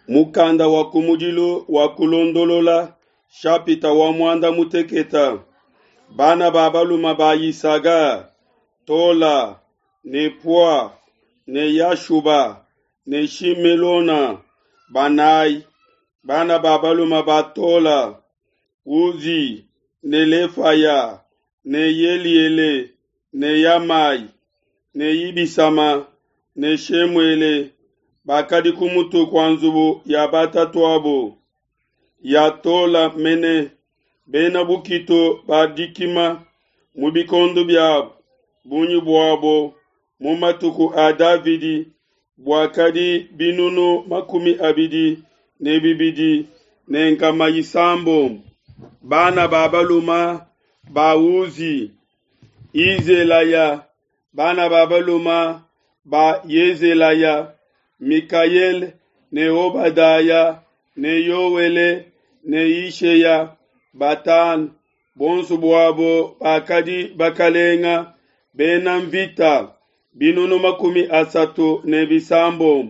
Mukanda wa kumudilu wa kulondolola shapita wa muanda muteketa bana ba baluma ba Yisaga Tola ne Pua ne Yashuba ne Shimelona banayi bana ba baluma ba Tola Uzi ne Lefaya ne Yeliele ne Yamai ne Ibisama ne Shemuele bakadi ku mutu kua nzubu ya batatuabo ya Tola mene bena bukitu ba dikima mu bikondo biabo bungi buabo mu matuku a Davidi buakadi binunu 22 ne nkama isambombo. Bana ba baluma ba Uzi Izelaya bana ba baluma ba Yezelaya Mikaele ne Obadaya ne Yoele ne Isheya batanu bonso buabo bakadi bakalenga bena mvita binunu 36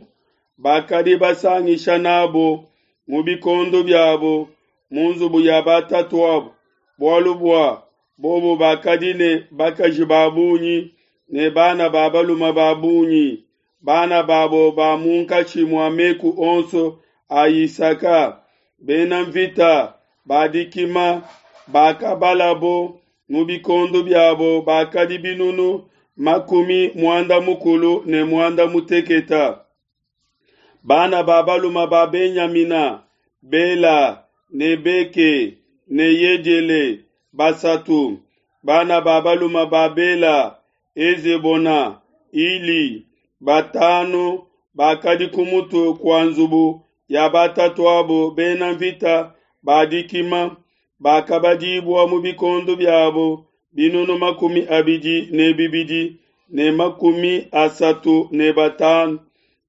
bakadi basangisha nabo mu bikondo biabo mu nzubu ya batatuabo bualu bua bobo bakadi ne bakaji ba bungi ne bana ba baluma ba bungi bana babo ba munkatshi mua meku onso a Yisaka bena mvita ba dikima bakabalabo mu bikondo biabo bakadi binunu 98. Bana ba baluma ba Benyamina Bela ne Beke ne Yediele basatu bana ba baluma ba Bela Ezebona Ili batanu bakadi ku mutu kua nzubu ya batatuabo bena mvita ba dikima bakabadibua mu bikondo biabo binunu 22 ne 35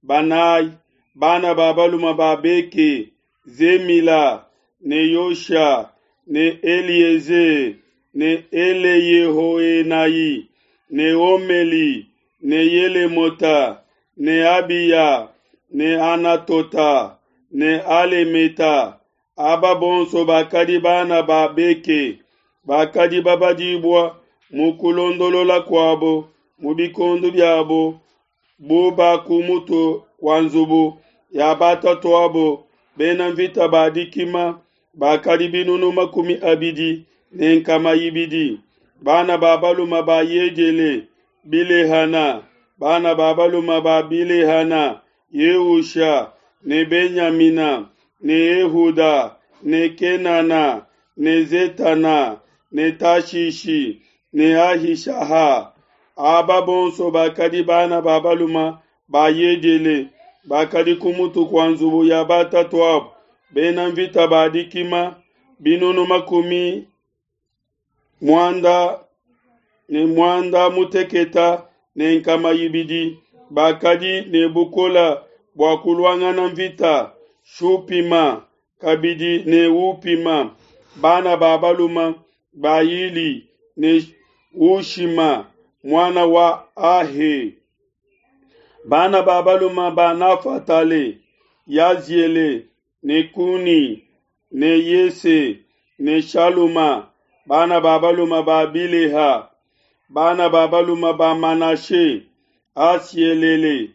banayi bana ba baluma ba Beke Zemila ne Yosha ne Elieze ne Eleyehoenai ne Omeli ne Yelemota ne Abiya ne Anatota ne Alemeta aba bonso bakadi bana ba Beke bakadi babadibua mu kulondolola kuabo mu bikondo biabo bu ba ku mutu kua nzubu ya batatuabo bena mvita ba dikima bakadi binunu 20 ne nkama ibidi. Bana ba baluma ba Yediele Bilehana bana ba baluma ba Bilehana Yeusha ne Benyamina ne Ehuda ne Kenana ne Zetana ne Tashishi ne Ahishaha aba bonso bakadi bana ba baluma ba Yediele bakadi ku mutu kua nzubu ya batatuabo bena mvita ba dikima binunu 96 ne nkama ibidi bakadi ne bukola bua kuluangana mvita Shupima kabidi ne Upima bana ba baluma ba Ili ne Ushima muana wa Ahe bana ba baluma ba Nafatale Yaziele ne Kuni ne Yese ne Shaluma bana ba baluma ba Bileha bana ba baluma ba Manashe Asielele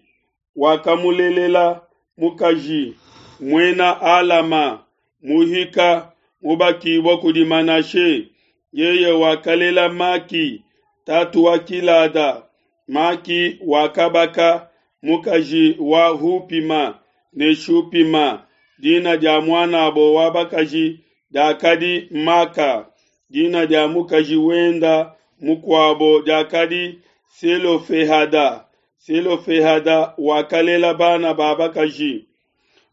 wakamulelela mukaji muena Alama muhika mubakibua kudi Manashe yeye wakalela Maki tatu wa Kilada. Maki wakabaka mukaji wa Hupima ne Shupima dina dia muanabo wa bakaji diakadi Maka dina dia mukaji wenda mukuabo diakadi Selofehada. Selofehada wakalela bana ba bakaji.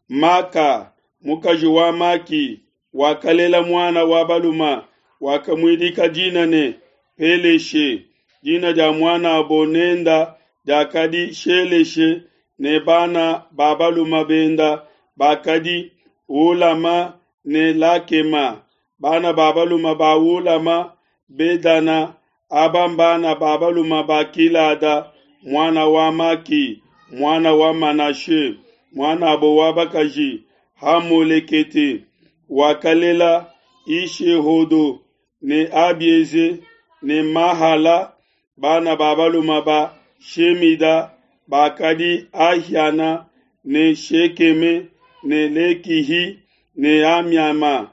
Maka mukaji wa Maki wakalela muana wa baluma wakamuidika dina ne Peleshe. Dina dia muanabo nenda diakadi Sheleshe ne bana ba baluma benda bakadi Ulama ne Lakema. Bana ba baluma ba Ulama Bedana aba mbana ba baluma ba Kilada muana wa Maki muana wa Manashe muanabo wa bakaji. Hamolekete wakalela Ishehodo ne Abieze ne Mahala. Bana ba balume ba Shemida bakadi Ahiana ne Shekeme ne Lekihi ne Amiama.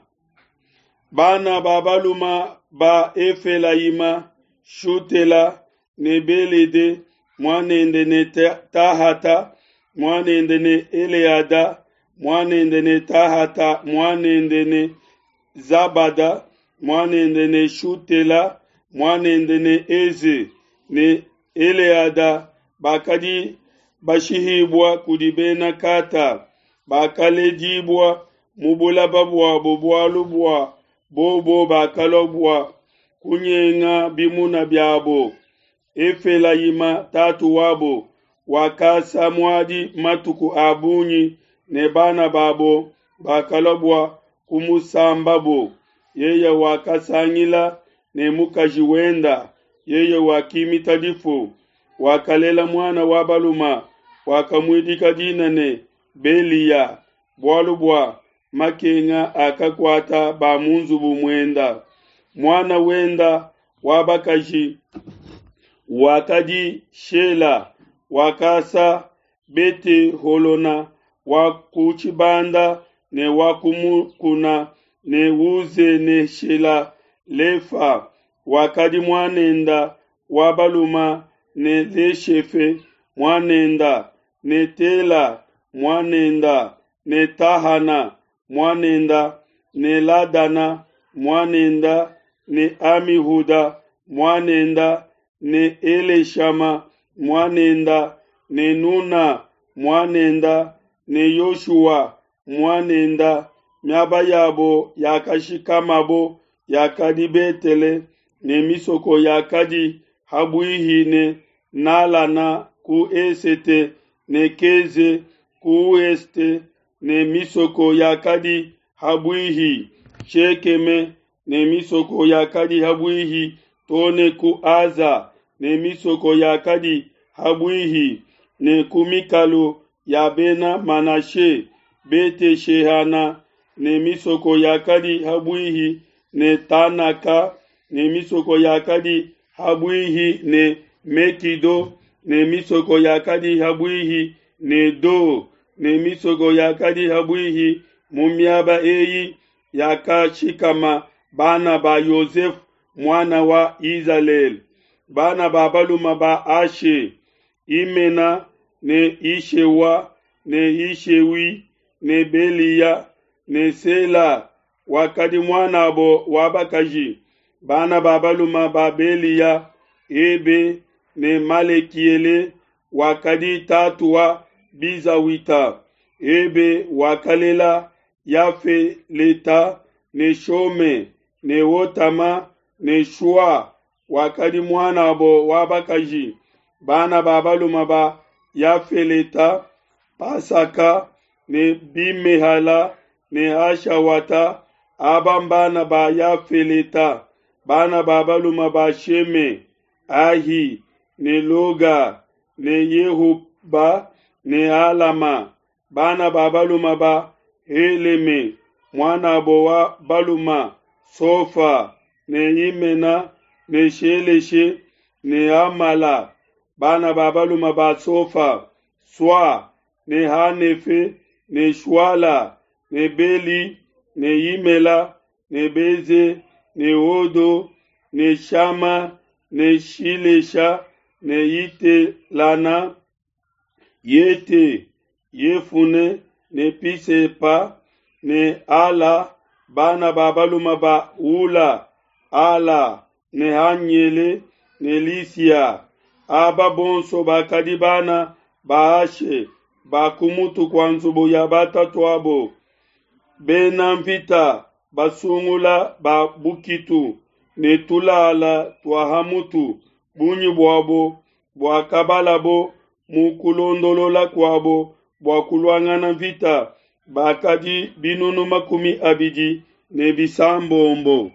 Bana ba balume ba Efelayima, Shutela ne Belede muanende ne Tahata muanende ne Eleada muanende ne Tahata muanende ne Zabada muanende ne Shutela muanende ne Eze ne Eleada bakadi bashihibua kudi Bena Kata, bakaledibua mu bulaba buabo bualu bua bobo bakalua bua kunyenga bimuna biabo. Efelayima tatu wabo wakasa muadi matuku a bungi ne bana babo bakalua bua kumusambabo. Yeye wakasangila ne mukaji wenda, yeye wakimita difu, wakalela muana wa baluma, wakamuidika dina ne Beliya, bualu bua makenga akakuata ba mu nzubu muenda. Muana wenda wa bakaji wakadi Shela, wakasa Bete-holona wa ku tshibanda ne wa ku mukuna ne Uzeneshela Lefa wakadi muanenda wa baluma ne Leshefe muanenda ne Tela muanenda ne Tahana muanenda ne Ladana muanenda ne Amihuda muanenda ne Eleshama muanenda ne Nuna muanenda ne Yoshua muanenda. Miaba yabo yakashikamabo yakadi Betele ne misoko yakadi habuihi ne Nalana ku esete ne Keze ku ueste ne misoko yakadi habuihi Shekeme ne misoko yakadi habuihi tone ku Aza ne misoko yakadi habuihi ne ku mikalu ya Bena Manashe Bete-shehana ne misoko yakadi habuihi ne Tanaka ne misoko yakadi habuihi ne Mekido ne misoko yakadi habuihi ne Do ne misoko yakadi habuihi mu miaba eyi yakashikama bana ba Yosefe muana wa Izalele. Bana ba balume ba Ashe, Imena ne Ishewa ne Ishewi ne Beliya ne Sela wakadi muanabo wa bakaji. Bana ba balume ba Beliya, Ebe ne Malekiele wakadi tatu wa Bizawita. Ebe wakalela Yafeleta ne Shome ne Otama ne Shua wakadi muanabo wa bakaji. Bana ba balume ba Yafeleta, Pasaka ne Bimehala ne Ashawata, aba mbana ba Yafeleta. Bana ba balume ba Sheme, Ahi ne Loga ne Yehuba ne Alama. Bana ba balume ba Heleme, muanabo wa balume Sofa ne Imena ne Sheleshe ne Amala. Bana ba balume ba Sofa, Swa ne Hanefe ne Shuala ne Beli ne Yimela ne Beze ne Odo ne Shama ne Shilesha ne Yitelana, Yete, Yefune ne Pisepa ne Ala. Bana ba balume ba Ula, Ala ne Hanyele ne Lisia. Aba bonso bakadi bana ba Ashe ba kumutu kua nzubu ya batatuabo. Bena mvita basungula ba bukitu ne tulala tua hamutu, bungi buabo buakabalabo mu kulondolola kuabo bua kuluangana mvita bakadi binunu 26.